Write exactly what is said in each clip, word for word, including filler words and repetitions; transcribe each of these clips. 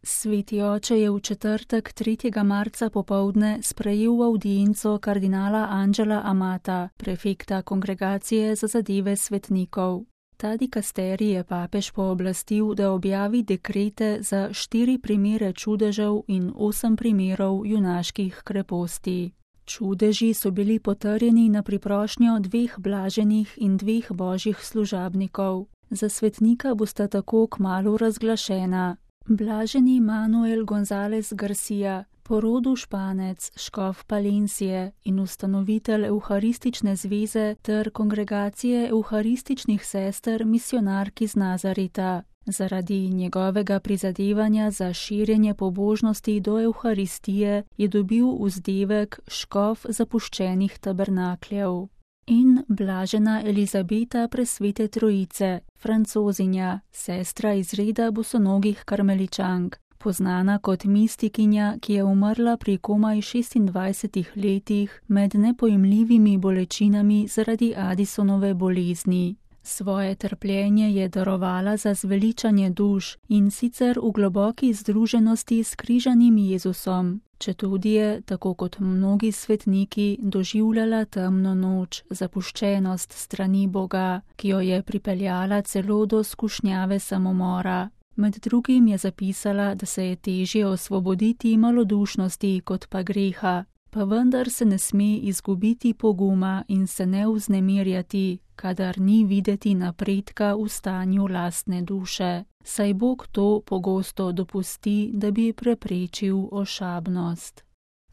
Sveti oče je v četrtek tretjega marca popoldne sprejel avdienco kardinala Angela Amata, prefekta Kongregacije za zadeve svetnikov. Ta dikasterij je papež pooblastil, da objavi dekrete za štiri primere čudežev in osem primerov junaških kreposti. Čudeži so bili potrjeni na priprošnjo dveh blaženih in dveh božjih služabnikov. Za svetnika bosta tako kmalu razglašena. Blaženi Manuel González Garcia, po rodu Španec, škof Palencije in ustanovitelj Evharistične zveze ter Kongregacije evharističnih sester misionark iz Nazareta. Zaradi njegovega prizadevanja za širjenje pobožnosti do Evharistije je dobil vzdevek škof zapuščenih tabernakljev. In blažena Elizabeta Presvete Trojice, Francozinja, sestra iz reda bosonogih karmeličank, poznana kot mistikinja, ki je umrla pri komaj šestindvajsetih letih med nepojmljivimi bolečinami zaradi Addisonove bolezni. Svoje trpljenje je darovala za zveličanje duš in sicer v globoki združenosti s križanim Jezusom, četudi je, tako kot mnogi svetniki, doživljala temno noč, zapuščenost strani Boga, ki jo je pripeljala celo do skušnjave samomora. Med drugim je zapisala, da se je težje osvoboditi malodušnosti kot pa greha, pa vendar se ne sme izgubiti poguma in se ne vznemirjati, kadar ni videti napredka v stanju lastne duše, saj Bog to pogosto dopusti, da bi preprečil ošabnost.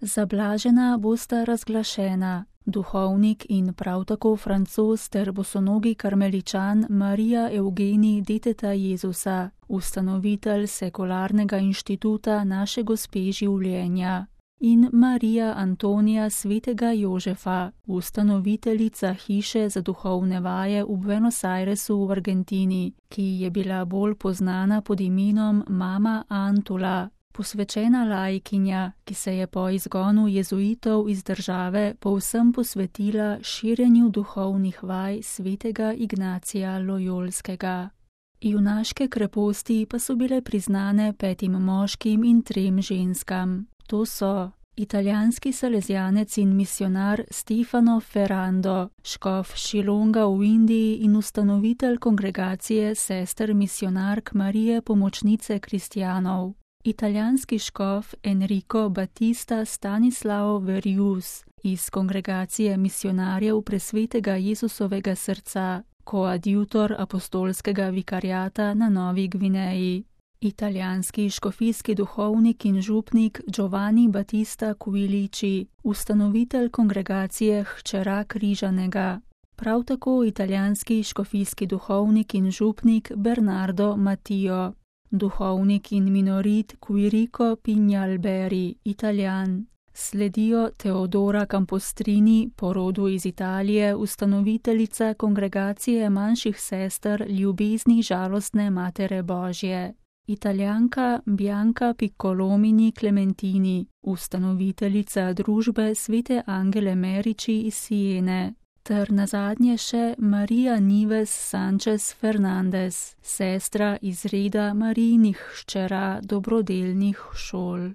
Zablažena bosta razglašena duhovnik in prav tako Francoz ter bosonogi karmeličan Marija Evgenij Deteta Jezusa, ustanovitelj sekularnega inštituta Naše Gospe življenja, in Marija Antonija Svetega Jožefa, ustanoviteljica hiše za duhovne vaje v Buenos Airesu v Argentini, ki je bila bolj poznana pod imenom Mama Antula, posvečena laikinja, ki se je po izgonu jezuitov iz države povsem posvetila širjenju duhovnih vaj svetega Ignacija Lojolskega. Junaške kreposti pa so bile priznane petim moškim in trem ženskam. To so italijanski salezjanec in misionar Stefano Ferrando, škof Šilonga v Indiji in ustanovitelj Kongregacije sester misionark Marije Pomočnice kristjanov, italijanski škof Enrico Battista Stanislao Verius iz Kongregacije misionarjev Presvetega Jezusovega srca, koadjutor apostolskega vikariata na Novi Gvineji, italijanski škofijski duhovnik in župnik Giovanni Battista Quilici, ustanovitelj Kongregacije Hčera Križanega, prav tako italijanski škofijski duhovnik in župnik Bernardo Mattio, duhovnik in minorit Quirico Pignalberi, Italijan. Sledijo Teodora Campostrini, po rodu iz Italije, ustanoviteljica Kongregacije manjših sester ljubezni žalostne Matere Božje, Italijanka Bianca Piccolomini Clementini, ustanoviteljica družbe Svete Angele Merici iz Siene, ter nazadnje še Maria Nives Sanchez Fernandez, sestra iz reda Marijinih hčera dobrodelnih šol.